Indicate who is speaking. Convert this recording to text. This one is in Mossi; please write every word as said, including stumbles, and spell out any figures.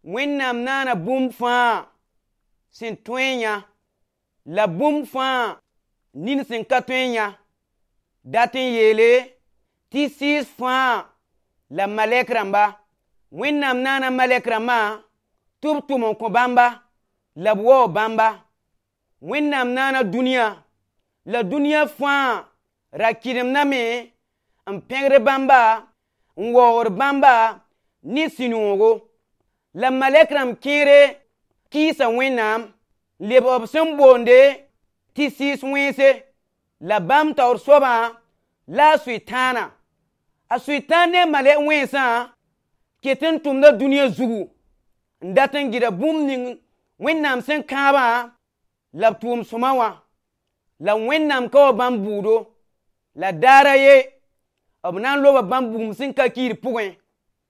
Speaker 1: Wẽnnaam naana bũmb fãa sẽn tõe n yã la bũmb fãa nin sẽn ka tõe n yã dat n yeele tɩ sɩɩs fãa la malɛk rãmba. Wẽnnaam naana malɛk rãmbã tɩ b tʋm n kõ bãmba la b waoog bãmba. Wẽnnaam naana dũniyã la dũniyã fãa ra kɩdemdame n pẽgd bãmba n waoogd bãmba ne sũ-noogo. La malɛk rãmb kẽere kɩɩsa Wẽnnaam n lebg b sẽn boonde tɩ sɩɩs wẽnse la bãmb taoor soabã la a Sʋtãana. A Sʋtãan ne a malɛk wẽnsã ket n tʋmda dũniyã zugu n dat n gɩda bũmb ning Wẽnnaam sẽn kãabã la b tʋʋm sõma wã. La Wẽnnaam ka wa bãmb bʋʋdo. La daar a ye b na n loba bãmb bugum sẽn ka kiir pʋgẽ.